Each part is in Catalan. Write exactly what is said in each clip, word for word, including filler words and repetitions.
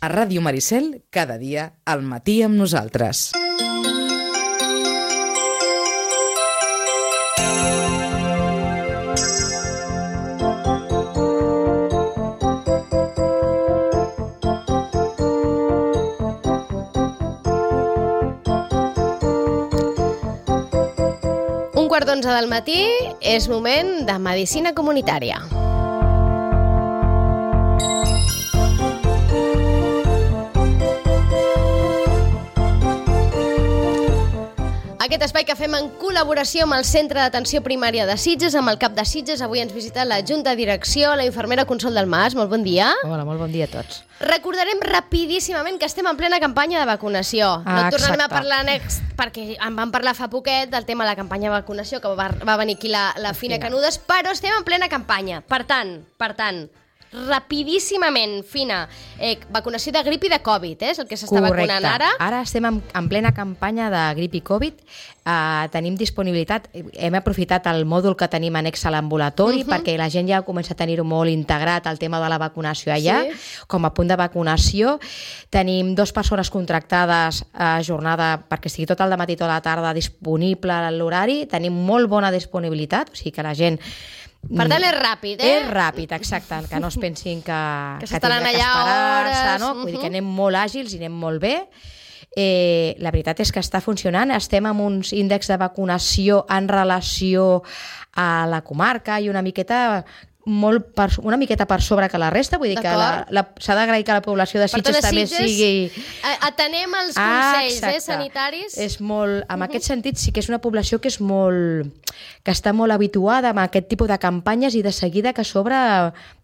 A Ràdio Maricel, cada dia, al matí amb nosaltres. Un quart d'onze del matí és moment de medicina comunitària. Aquest espai que fem en col·laboració amb el Centre d'Atenció Primària de Sitges, amb el cap de Sitges. Avui ens visita la Junta de Direcció, la infermera Consol del Mas. Molt bon dia. Hola, molt bon dia a tots. Recordarem rapidíssimament que estem en plena campanya de vacunació. Ah, no tornarem exacte. a parlar next, perquè en vam parlar fa poquet del tema de la campanya de vacunació, que va, va venir aquí la, la, la Fina Canudes, però estem en plena campanya. Per tant, per tant, rapidíssimament, Fina, eh, vacunació de grip i de Covid, eh, és el que s'està vacunant ara. Ara estem en, en plena campanya de grip i Covid. Uh, tenim disponibilitat, hem aprofitat el mòdul que tenim annex a l'ambulatori, uh -huh. perquè la gent ja comença a tenir-ho molt integrat, el tema de la vacunació allà, sí. Com a punt de vacunació. Tenim dues persones contractades a jornada perquè estigui tot el dematí i tota la tarda disponible l'horari. Tenim molt bona disponibilitat, o sigui que la gent... Per tant, és ràpid, eh? És ràpid, exacte, que no es pensin que, que, que s'estaran tindrà que allà hores... no? Vull dir que anem molt àgils i anem molt bé. Eh, la veritat és que està funcionant. Estem amb uns índexs de vacunació en relació a la comarca i una miqueta... molt per, una miqueta per sobre que la resta, vull dir que s'ha d'agrair que la població de Sitges també sigui... Atenem els consells ah, eh, sanitaris. És molt, en uh -huh. aquest sentit sí que és una població que és molt... que està molt habituada a aquest tipus de campanyes i de seguida que a sobre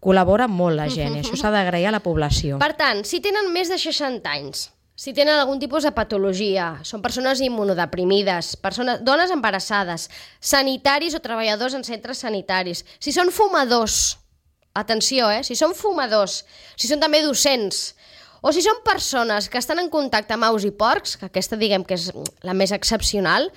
col·labora molt la gent, uh -huh. i això s'ha d'agrair a la població. Per tant, si tenen més de seixanta anys, si tenen algun tipus de patologia, són persones immunodeprimides, persones, dones embarassades, sanitaris o treballadors en centres sanitaris, si són fumadors, atenció, eh? si són fumadors, si són també docents, o si són persones que estan en contacte amb aus i porcs, que aquesta diguem que és la més excepcional,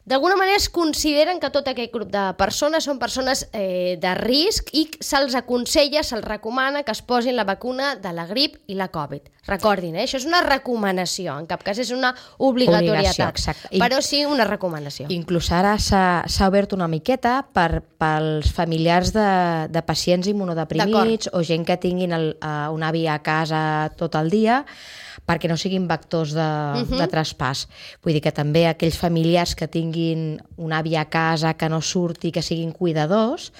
d'alguna manera es consideren que tot aquest grup de persones són persones eh, de risc i se'ls aconsella, se'ls recomana que es posin la vacuna de la grip i la Covid. Recordin, eh? Això és una recomanació, en cap cas és una obligatorietat, però sí una recomanació. Inclús ara s'ha obert una miqueta per, pels familiars de, de pacients immunodeprimits o gent que tinguin el, uh, un avi a casa tot el dia, perquè no siguin vectors de, uh -huh. de traspàs. Vull dir que també aquells familiars que tinguin un avi a casa, que no surti, que siguin cuidadors,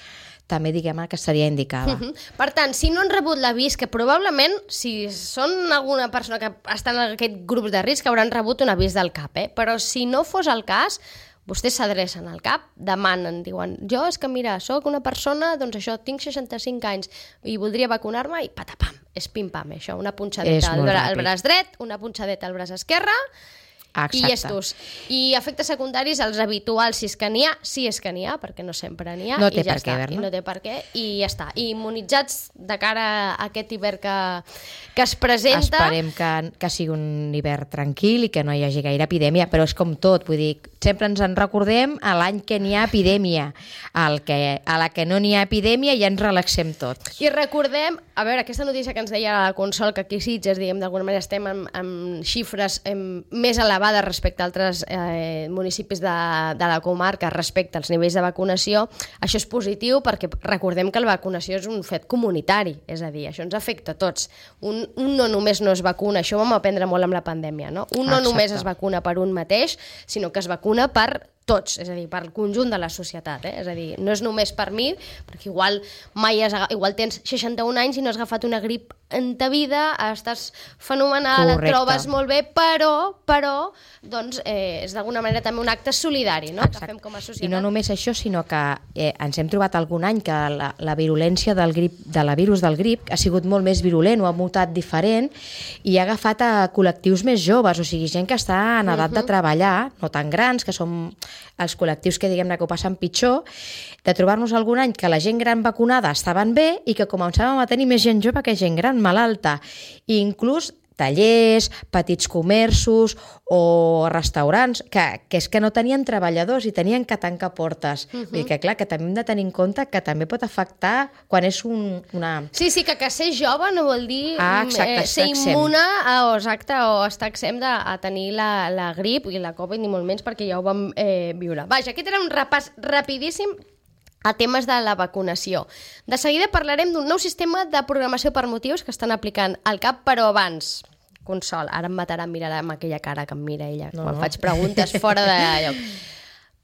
també diguem que seria indicada. Uh -huh. Per tant, si no han rebut l'avís, que probablement, si són alguna persona que està en aquest grup de risc, hauran rebut un avís del C A P, eh? Però si no fos el cas, vostès s'adrecen al C A P, demanen, diuen, jo és que mira, sóc una persona, doncs això, tinc seixanta-cinc anys i voldria vacunar-me i patapam, és pim-pam, això, una punxadeta al, bra al braç dret, una punxadeta al braç esquerre, exacte. I llestos. I efectes secundaris, els habituals, si és que n'hi ha, si és que n'hi ha, perquè no sempre n'hi ha, no té i ja per està. què, I no té per què, i ja està. I immunitzats de cara a aquest hivern que, que es presenta... Esperem que, que sigui un hivern tranquil i que no hi hagi gaire epidèmia, però és com tot, vull dir, sempre ens en recordem a l'any que n'hi ha epidèmia. El que, a la que no n'hi ha epidèmia ja ens relaxem tots. I recordem, a veure, aquesta notícia que ens deia la Consol, que aquí Sitges, diguem, d'alguna manera estem amb, amb xifres amb, més elevades respecte a altres eh, municipis de, de la comarca respecte als nivells de vacunació. Això és positiu perquè recordem que la vacunació és un fet comunitari, és a dir, això ens afecta a tots. Un, un no només no es vacuna, això ho vam aprendre molt amb la pandèmia, no? Un no Exacte. només es vacuna per un mateix, sinó que es vacuna per tots, és a dir, per el conjunt de la societat, eh? És a dir, no és només per mi, perquè igual mai has, igual tens seixanta-un anys i no has agafat una grip en ta vida, estàs fenomenal, correcte. Et trobes molt bé, però, però doncs, eh, és d'alguna manera també un acte solidari, no? Que fem com a societat. I no només això, sinó que eh, ens hem trobat algun any que la, la virulència del grip, de la virus del grip ha sigut molt més virulent o ha mutat diferent i ha agafat a col·lectius més joves, o sigui, gent que està en edat uh -huh. de treballar, no tan grans, que són els col·lectius que diguem-ne que ho passen pitjor, de trobar-nos algun any que la gent gran vacunada estaven bé i que començàvem a tenir més gent jove que gent gran malalta. I inclús tallers, petits comerços o restaurants, que, que és que no tenien treballadors i tenien que tancar portes. Uh -huh. Vull dir que, clar, que també hem de tenir en compte que també pot afectar quan és un, una... Sí, sí, que, que ser jove no vol dir ah, exacte, eh, ser immune a, o, exacte, o estar exempt de, a tenir la, la grip i la Covid, ni molt menys, perquè ja ho vam eh, viure. Vaja, aquest era un repàs rapidíssim a temes de la vacunació. De seguida parlarem d'un nou sistema de programació per motius que estan aplicant al CAP, però abans, Consol, ara em matarà, em mirarà amb aquella cara que em mira ella, no, quan no. faig preguntes fora de lloc.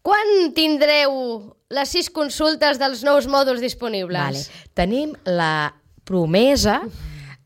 Quan tindreu les sis consultes dels nous mòduls disponibles? Vale. Tenim la promesa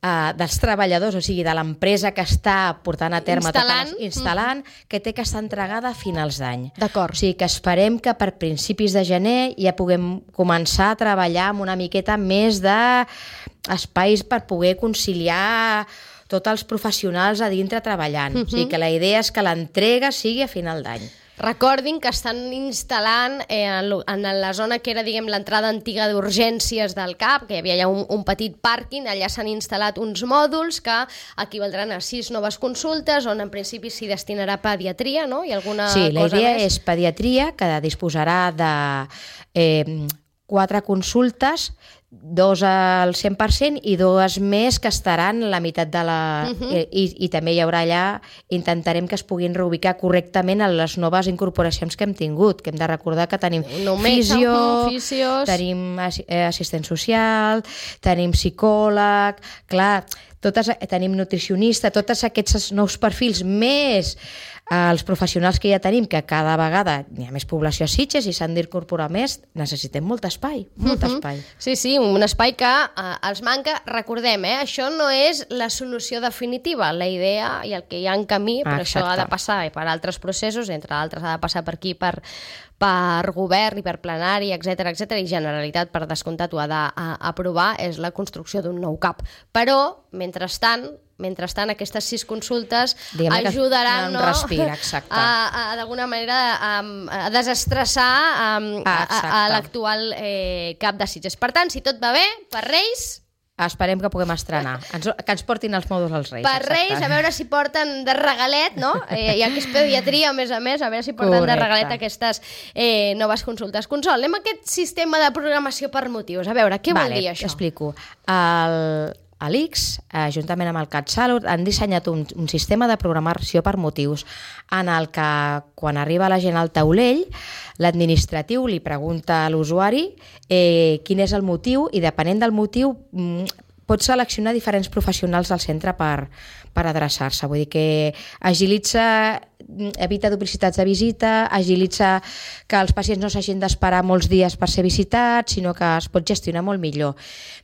Uh, dels treballadors, o sigui, de l'empresa que està portant a terme instal·lant, totes les, instal·lant mm. que té que estar entregada a finals d'any. D'acord. O sigui, que esperem que per principis de gener ja puguem començar a treballar amb una miqueta més d'espais per poder conciliar tots els professionals a dintre treballant. Mm-hmm. O sigui, que la idea és que l'entrega sigui a final d'any. Recordin que estan instal·lant eh, en la zona que era, diguem, l'entrada antiga d'urgències del CAP, que hi havia ja un, un petit pàrquing, allà s'han instal·lat uns mòduls que equivaldran a sis noves consultes, on en principi s'hi destinarà pediatria, no? I alguna sí, la cosa idea més? És pediatria, que disposarà de eh, quatre consultes, dos al cent per cent i dues més que estaran la meitat de la... Uh-huh. I, i també hi haurà allà, intentarem que es puguin reubicar correctament a les noves incorporacions que hem tingut, que hem de recordar que tenim no fisio, fisios. tenim assistent social, tenim psicòleg, clar, totes, tenim nutricionista, tots aquests nous perfils més els professionals que ja tenim, que cada vegada hi ha més població a Sitges i s'han d'incorporar més, necessitem molt espai, molt uh-huh. espai. Sí, sí, un espai que eh, els manca. Recordem, eh, això no és la solució definitiva, la idea i el que hi ha en camí, però Exacte. això ha de passar per altres processos, entre altres ha de passar per aquí, per, per govern i per plenari, etcètera, etcètera, i Generalitat, per descomptat, ho ha d'aprovar, és la construcció d'un nou CAP. Però, mentrestant, mentrestant aquestes sis consultes Diguem ajudaran no, respir, exacte. a, a d'alguna manera a, a desestressar a, a, a l'actual eh, CAP de Sitges. Per tant, si tot va bé, per Reis... Esperem que puguem estrenar, ens, que ens portin els mòduls als Reis. Per exacte. Reis, a veure si porten de regalet, no? Eh, ja que és pediatria, a més a més, a veure si porten Correcte. de regalet aquestes eh, noves consultes. Consol, anem a aquest sistema de programació per motius. A veure, què vale, vol dir això? T'explico. El... A l'I C S, eh, juntament amb el CatSalut, han dissenyat un, un sistema de programació per motius en el que, quan arriba la gent al taulell, l'administratiu li pregunta a l'usuari eh, quin és el motiu i, depenent del motiu, pot seleccionar diferents professionals del centre per, per adreçar-se. Vull dir que agilitza, evita duplicitats de visita, agilitza que els pacients no s'hagin d'esperar molts dies per ser visitats, sinó que es pot gestionar molt millor.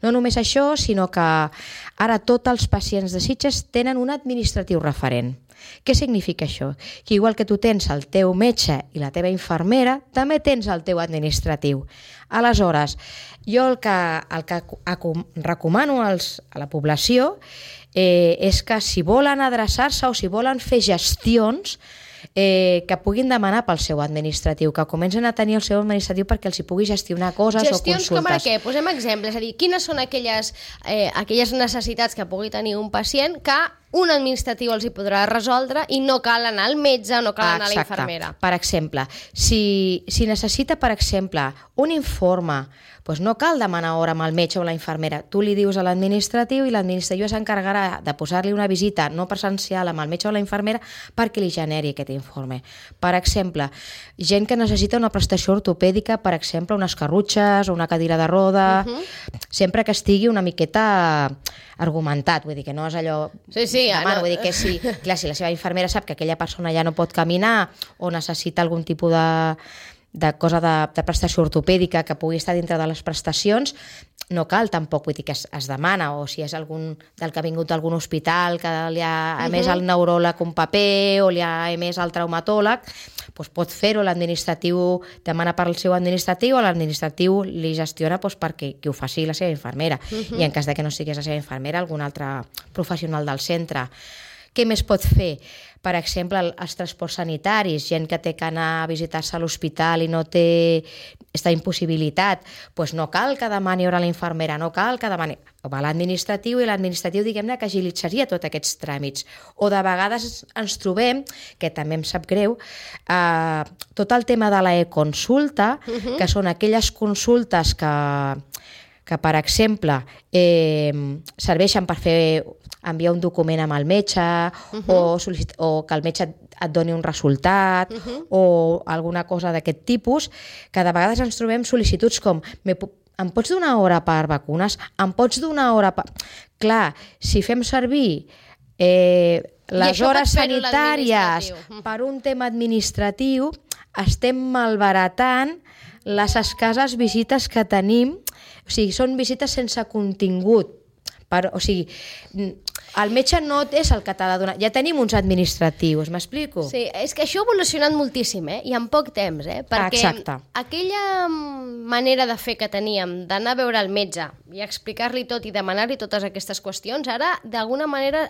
No només això, sinó que ara tots els pacients de Sitges tenen un administratiu referent. Què significa això? Que igual que tu tens el teu metge i la teva infermera, també tens el teu administratiu. Aleshores, jo el que, el que recomano als, a la població eh, és que si volen adreçar-se o si volen fer gestions, eh, que puguin demanar pel seu administratiu, que comencen a tenir el seu administratiu perquè els hi pugui gestionar coses gestions o consultes. Gestions com ara què? Posem exemples, és a dir, quines són aquelles, eh, aquelles necessitats que pugui tenir un pacient que un administratiu els hi podrà resoldre i no cal anar al metge, no cal anar Exacte. a la infermera. Per exemple, si, si necessita, per exemple, un informe, doncs no cal demanar hora amb el metge o la infermera. Tu li dius a l'administratiu i l'administratiu s'encarregarà de posar-li una visita no presencial amb el metge o la infermera perquè li generi aquest informe. Per exemple, gent que necessita una prestació ortopèdica, per exemple, unes carrutxes o una cadira de roda, uh-huh. sempre que estigui una miqueta argumentat, vull dir que no és allò... Sí, sí, demano, no. vull dir que sí, clar, si la seva infermera sap que aquella persona ja no pot caminar o necessita algun tipus de, de cosa de, de prestació ortopèdica que pugui estar dintre de les prestacions, no cal tampoc, vull dir que es, es demana, o si és algun del que ha vingut d'algun hospital que li ha emès uh-huh. el neuròleg un paper o li ha emès el traumatòleg, doncs pot fer-ho, l'administratiu demana per al seu administratiu, o l'administratiu li gestiona doncs, perquè que ho faci la seva infermera. Uh-huh. I en cas de que no sigués la seva infermera, algun altre professional del centre. Què més pot fer? Per exemple, els transports sanitaris, gent que té que anar a visitar-se a l'hospital i no té aquesta impossibilitat, doncs no cal que demani hora a la infermera, no cal que demani... Va a l'administratiu i l'administratiu, diguem-ne, que agilitzaria tots aquests tràmits. O de vegades ens trobem, que també em sap greu, eh, tot el tema de la e-consulta, uh-huh. que són aquelles consultes que, que per exemple, eh, serveixen per fer enviar un document amb el metge uh-huh. o, sol·licit- o que el metge et doni un resultat uh-huh. o alguna cosa d'aquest tipus, que de vegades ens trobem sol·licituds com me pu- em pots donar hora per vacunes? Em pots donar hora per... Clar, si fem servir eh, les hores sanitàries per un tema administratiu, estem malbaratant les escasses visites que tenim. O sigui, són visites sense contingut. Per, o sigui, el metge no és el que t'ha de donar. Ja tenim uns administratius, m'explico? Sí, és que això ha evolucionat moltíssim, eh? I en poc temps, eh? Perquè Exacte. aquella manera de fer que teníem d'anar a veure el metge i explicar-li tot i demanar-li totes aquestes qüestions, ara d'alguna manera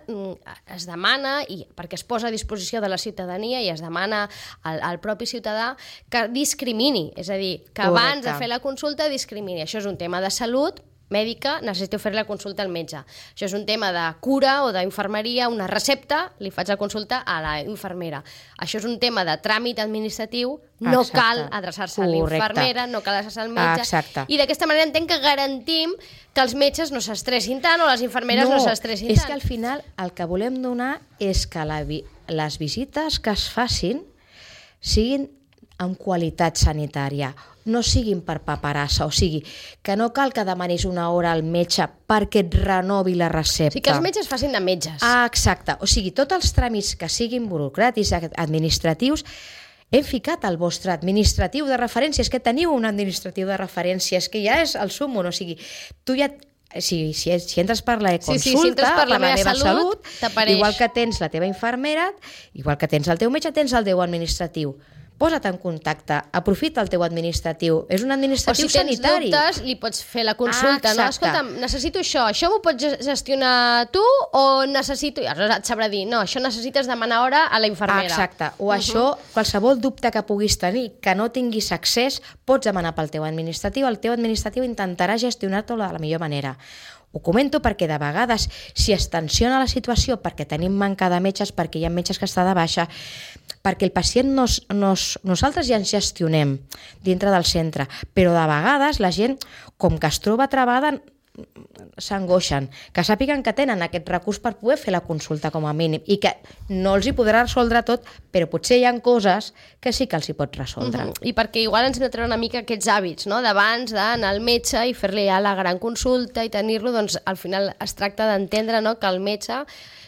es demana, i perquè es posa a disposició de la ciutadania i es demana al, al propi ciutadà que discrimini, és a dir, que Correcte. abans de fer la consulta discrimini. Això és un tema de salut mèdica, necessito fer la consulta al metge. Això és un tema de cura o d'infermeria, una recepta, li faig la consulta a la infermera. Això és un tema de tràmit administratiu, no Exacte. cal adreçar-se a l'infermera, no cal adreçar-se al metge. Exacte. I d'aquesta manera entenc que garantim que els metges no s'estressin tant o les infermeres no, no s'estressin tant. És que al final el que volem donar és que la vi- les visites que es facin siguin amb qualitat sanitària, no siguin per paperassa, o sigui, que no cal que demanis una hora al metge perquè et renovi la recepta. O sigui, que els metges facin de metges. Ah, exacte. O sigui, tots els tràmits que siguin burocràtics, administratius, hem ficat el vostre administratiu de referència. És que teniu un administratiu de referència, és que ja és el súmmum. O sigui, tu ja... Si, si, si entres per la e-consulta, sí, sí, si entres per la, per la meva salut, salut igual que tens la teva infermera, igual que tens el teu metge, tens el teu administratiu. Posa't en contacte, aprofita el teu administratiu. És un administratiu sanitari. O si tens sanitari. Dubtes, li pots fer la consulta, ah, no? Escolta'm, necessito això, això m'ho pots gestionar tu o necessito... I aleshores et sabrà dir, no, això necessites demanar hora a la infermera. Exacte, o uh -huh. això, qualsevol dubte que puguis tenir, que no tinguis accés, pots demanar pel teu administratiu, el teu administratiu intentarà gestionar-t'ho de la millor manera. Ho comento perquè de vegades, si es tensiona la situació, perquè tenim manca de metges, perquè hi ha metges que està de baixa, perquè el pacient nos, nos, nosaltres ja ens gestionem dintre del centre, però de vegades la gent, com que es troba travada, s'angoixen, que sàpiguen que tenen aquest recurs per poder fer la consulta com a mínim i que no els hi podrà resoldre tot, però potser hi ha coses que sí que els hi pot resoldre. Uh-huh. I perquè igual ens hem de treure una mica aquests hàbits, no? D'abans d'anar al metge i fer-li ja la gran consulta i tenir-lo, doncs al final es tracta d'entendre, no?, que el metge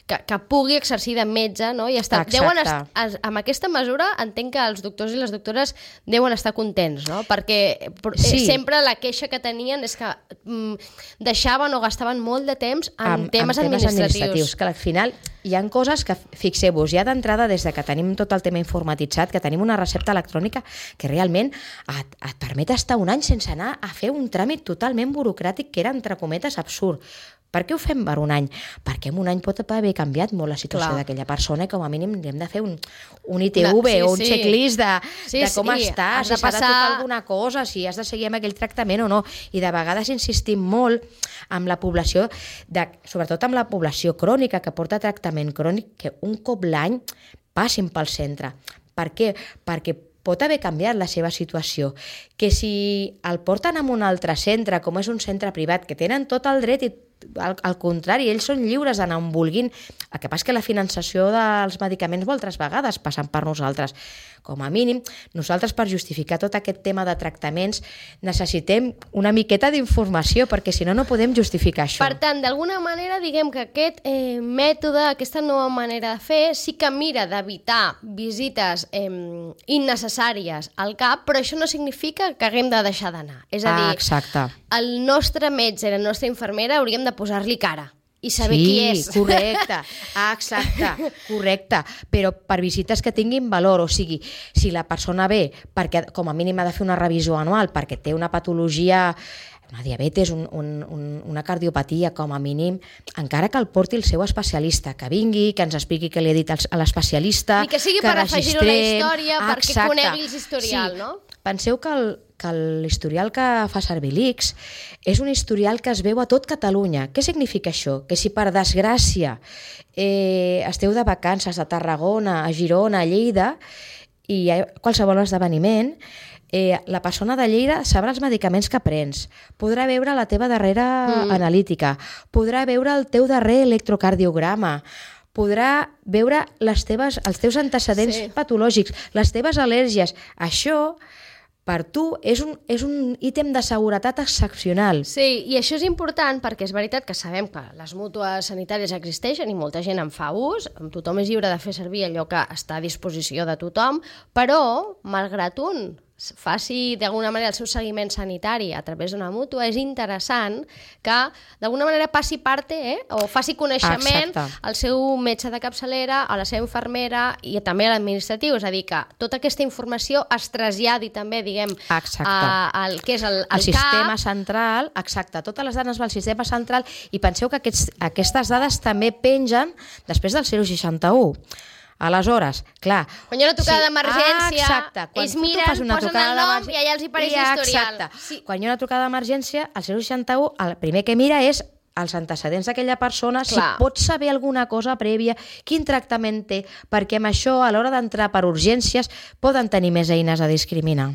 que, que pugui exercir de metge, no? I està, deuen estar, amb aquesta mesura entenc que els doctors i les doctores deuen estar contents, no? Perquè sí. sempre la queixa que tenien és que mm, deixaven o gastaven molt de temps en amb, temes, amb administratius. temes administratius. Que al final hi ha coses que, fixeu-vos, ja d'entrada, des de que tenim tot el tema informatitzat, que tenim una recepta electrònica que realment et, et permet estar un any sense anar a fer un tràmit totalment burocràtic que era, entre cometes, absurd. Per què ho fem per un any? Perquè en un any pot haver canviat molt la situació d'aquella persona i com a mínim hem de fer un, un I T V no, sí, o un sí. checklist de, sí, de com sí. està, has si s'ha de tocar alguna cosa, si has de seguir amb aquell tractament o no. I de vegades insistim molt amb la població, de, sobretot amb la població crònica que porta tractament crònic, que un cop l'any passin pel centre. Per què? Perquè pot haver canviat la seva situació, que si el porten a un altre centre, com és un centre privat, que tenen tot el dret i al, al contrari, ells són lliures d'anar on vulguin, el que passa és que la finançació dels medicaments moltes vegades passen per nosaltres. Com a mínim, nosaltres per justificar tot aquest tema de tractaments necessitem una miqueta d'informació, perquè si no, no podem justificar això. Per tant, d'alguna manera, diguem que aquest eh, mètode, aquesta nova manera de fer, sí que mira d'evitar visites eh, innecessàries al cap, però això no significa que haguem de deixar d'anar. És a dir, ah, exacte. el nostre metge i la nostra infermera hauríem de posar-li cara i saber sí, qui és. Sí, correcte, ah, exacte, correcte, però per visites que tinguin valor, o sigui, si la persona ve perquè com a mínim ha de fer una revisió anual perquè té una patologia una diabetes, un, un, un, una cardiopatia com a mínim, encara que el porti el seu especialista, que vingui, que ens expliqui què li ha dit a l'especialista, i que sigui que per afegir-ho a la història, ah, perquè exacte. conegui l'historial, sí. no? Penseu que el, que l'historial que fa servir l'I C S és un historial que es veu a tot Catalunya. Què significa això? Que si per desgràcia eh, esteu de vacances a Tarragona, a Girona, a Lleida, i hi ha qualsevol esdeveniment, eh, la persona de Lleida sabrà els medicaments que prens, podrà veure la teva darrera mm. analítica, podrà veure el teu darrer electrocardiograma, podrà veure les teves, els teus antecedents sí. patològics, les teves al·lèrgies. Això, per tu, és un, és un ítem de seguretat excepcional. Sí, i això és important perquè és veritat que sabem que les mútues sanitàries existeixen i molta gent en fa ús, tothom és lliure de fer servir allò que està a disposició de tothom, però, malgrat un faci d'alguna manera el seu seguiment sanitari a través d'una mútua, és interessant que d'alguna manera passi parte eh, o faci coneixement Exacte. al seu metge de capçalera, a la seva infermera i també a l'administratiu, és a dir, que tota aquesta informació es traslladi també, diguem, a, al que és el, el, el sistema cap. central, exacte, totes les dades del sistema central, i penseu que aquests, aquestes dades també pengen després del zero seixanta u. Aleshores, clar... Quan hi ha una tocada sí, d'emergència, ah, ells miren, posen el nom i allà els hi apareix l'historial. Sí. Quan hi ha una trucada d'emergència, el zero seixanta u, el primer que mira és els antecedents d'aquella persona, clar. Si pot saber alguna cosa prèvia, quin tractament té, perquè amb això, a l'hora d'entrar per urgències, poden tenir més eines a discriminar.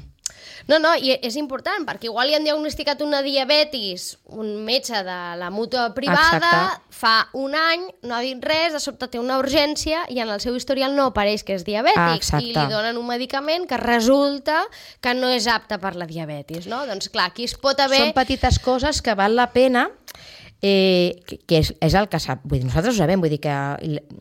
No, no, i és important, perquè igual li han diagnosticat una diabetis, un metge de la mútua privada, Exacte. fa un any, no ha dit res, de sobte té una urgència i en el seu historial no apareix que és diabètic, Exacte. i li donen un medicament que resulta que no és apte per la diabetis, no? Doncs clar, aquí es pot haver... Són petites coses que val la pena... Eh, que, que és, és el que sap. Vull dir, nosaltres ho sabem, vull dir que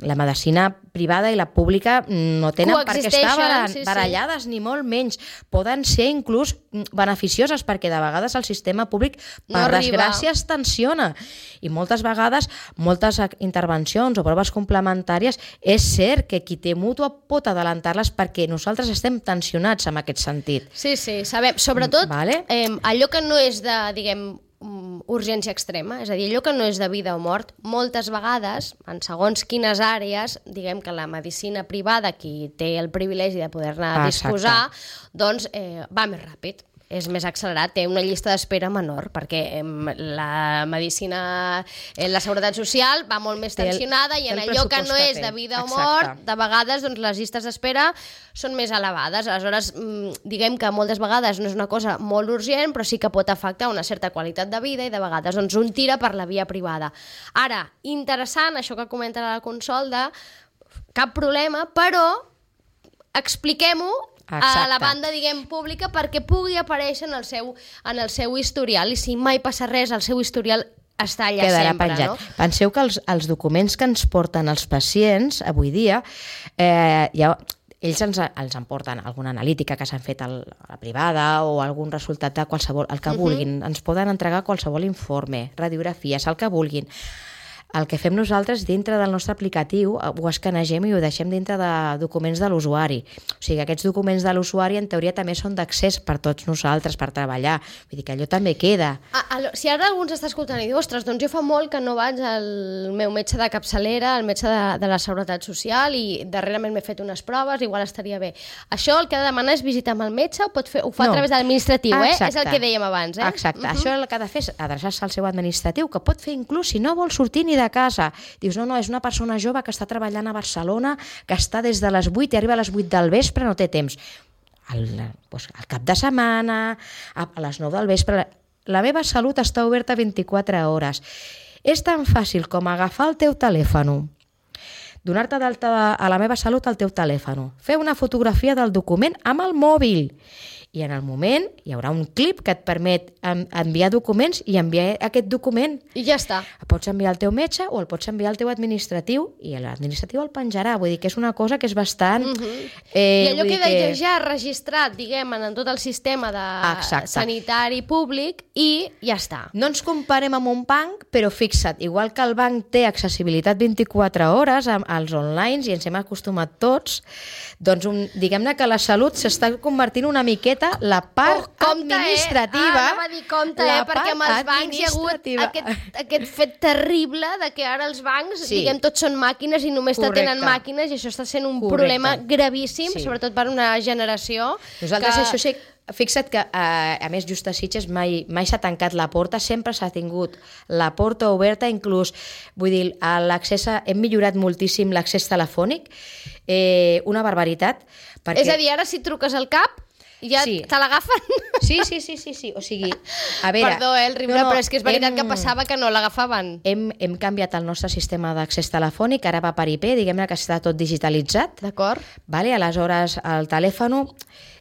la medicina privada i la pública no tenen per què estar barall, sí, barallades, sí. ni molt menys. Poden ser inclús beneficioses, perquè de vegades el sistema públic, per no desgràcia, es tensiona. I moltes vegades, moltes intervencions o proves complementàries, és cert que qui té mútua pot adelantar-les perquè nosaltres estem tensionats en aquest sentit. Sí, sí, sabem. Sobretot, vale? eh, allò que no és de, diguem, urgència extrema, és a dir, allò que no és de vida o mort, moltes vegades, en segons quines àrees, diguem que la medicina privada, qui té el privilegi de poder-ne disposar, doncs eh, va més ràpid. És més accelerat, té una llista d'espera menor, perquè la medicina, la seguretat social va molt més tensionada i en allò que no és de vida o mort, de vegades doncs, les llistes d'espera són més elevades. Aleshores, diguem que moltes vegades no és una cosa molt urgent, però sí que pot afectar una certa qualitat de vida i de vegades doncs, un tira per la via privada. Ara, interessant això que comenta la Consol de cap problema, però expliquem-ho Exacte. a la banda, diguem, pública perquè pugui aparèixer en el seu, en el seu historial, i si mai passa res, el seu historial està allà Quedarà sempre. Penjat. No? Penseu que els, els documents que ens porten els pacients avui dia, eh, ja, ells ens, els emporten alguna analítica que s'han fet a la privada o algun resultat de qualsevol, el que vulguin. Uh-huh. Ens poden entregar qualsevol informe, radiografies, el que vulguin. El que fem nosaltres dintre del nostre aplicatiu ho escanegem i ho deixem dintre de documents de l'usuari. O sigui, aquests documents de l'usuari en teoria també són d'accés per tots nosaltres, per treballar. Vull dir que allò també queda. Ah, alò, si ara algú ens està escoltant i diu, ostres, doncs jo fa molt que no vaig al meu metge de capçalera, al metge de, de la Seguretat Social, i darrerament m'he fet unes proves, igual estaria bé. Això el que ha de demanar és visitar amb el metge o pot fer, ho fa no. a través de l'administratiu, eh? És el que dèiem abans, eh? Exacte. Uh-huh. Això el que ha de fer és adreçar-se al seu administratiu, que pot fer inclús si no vol sortir ni de casa. Dius, no, no, és una persona jove que està treballant a Barcelona, que està des de les vuit i arriba a les vuit del vespre, no té temps. Al, doncs, al cap de setmana, a, a les nou del vespre... La, la meva salut està oberta vint-i-quatre hores. És tan fàcil com agafar el teu telèfon, donar-te d'alta a la meva salut al teu telèfon, fer una fotografia del document amb el mòbil, i en el moment hi haurà un clip que et permet enviar documents i enviar aquest document. I ja està. El pots enviar al teu metge o el pots enviar al teu administratiu i l'administratiu el penjarà. Vull dir que és una cosa que és bastant... Uh-huh. eh, I allò vull queda que... ja registrat, diguem, en tot el sistema de Exacte. sanitari públic i ja està. No ens comparem amb un banc, però fixa't, igual que el banc té accessibilitat vint-i-quatre hores als online i ens hem acostumat tots, doncs un, diguem-ne que la salut s'està convertint una miqueta feta la part Oh, compte, administrativa. Eh? Ah, anava a dir compte, la eh? Perquè amb els part bancs hi ha hagut administrativa. aquest, aquest fet terrible de que ara els bancs, Sí. diguem, tots són màquines i només Correcte. t'atenen màquines, i això està sent un Correcte. problema gravíssim, Sí. sobretot per una generació. Nosaltres que... això sí, fixa't que, eh, a més, just a Sitges mai, mai s'ha tancat la porta, sempre s'ha tingut la porta oberta, inclús, vull dir, a l'accés, a- hem millorat moltíssim l'accés telefònic, eh, una barbaritat. Perquè... És a dir, ara si truques al cap, ja Sí. te l'agafen. Sí, sí, sí, sí, sí, o sigui, a veure... Perdó, eh, el riure, no, no, però és que és veritat hem- que passava que no l'agafaven. Hem, hem canviat el nostre sistema d'accés telefònic, ara va per I P, diguem-ne que està tot digitalitzat. D'acord? Vale? Aleshores, el telèfon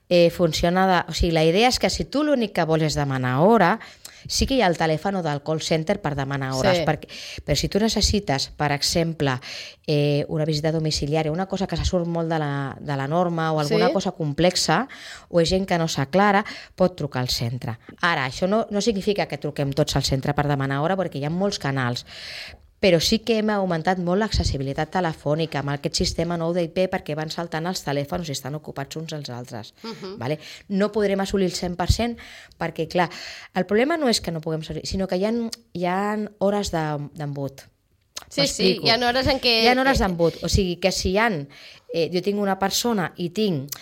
eh, funciona... De... O sigui, la idea és que si tu l'únic que vols és demanar hora, sí que hi ha el telèfon del call center per demanar hores, Sí. perquè, però si tu necessites, per exemple, eh, una visita domiciliària, una cosa que se surt molt de la, de la norma o alguna Sí. cosa complexa, o és gent que no s'aclara, pot trucar al centre. Ara, això no, no significa que truquem tots al centre per demanar hora, perquè hi ha molts canals, però sí que hem augmentat molt l'accessibilitat telefònica amb aquest sistema nou d'I P perquè van saltant els telèfons i estan ocupats uns als altres. Uh-huh. Vale? No podrem assolir el cent per cent perquè, clar, el problema no és que no puguem assolir, sinó que hi ha, hi ha hores de- d'embut. Sí, sí, M'explico. hi ha hores en què... Hi ha hores d'embut, o sigui que si hi ha, eh, jo tinc una persona i tinc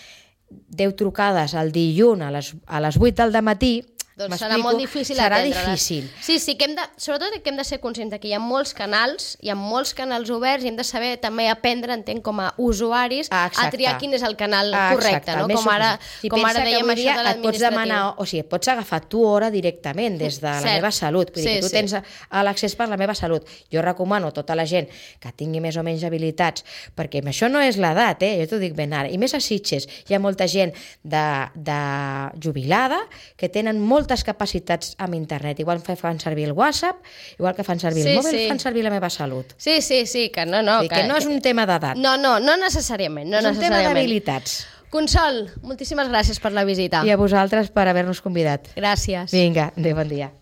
deu trucades al dilluns a les, a les vuit del dematí, Doncs serà m'explico, molt difícil serà atendre-les. difícil. Sí, sí, que hem de, sobretot que hem de ser conscients que hi ha molts canals, hi ha molts canals oberts i hem de saber també aprendre, entenc, com a usuaris, Ah, a exacte. triar quin és el canal Ah, correcte, exacte, no? més Com ara, si com pensa ara que dèiem avui això dia de et pots l'administratiu. demanar, o sigui, et pots agafar tu hora directament des de la Cert. meva salut, vull dir Sí, que tu sí. tens a- a l'accés per la meva salut. Jo recomano a tota la gent que tingui més o menys habilitats, perquè això no és l'edat, eh? Jo t'ho dic ben ara, i més a Sitges hi ha molta gent de, de jubilada que tenen moltes capacitats amb internet, igual que fan servir el WhatsApp, igual que fan servir Sí, el mòbil, sí. fan servir la meva salut. Sí, sí, sí, que no, no. Vull dir que no és un tema d'edat, No, no, no necessàriament, no és un tema necessàriament. d'habilitats. Consol, moltíssimes gràcies per la visita. I a vosaltres per haver-nos convidat. Gràcies. Vinga, adéu, bon dia.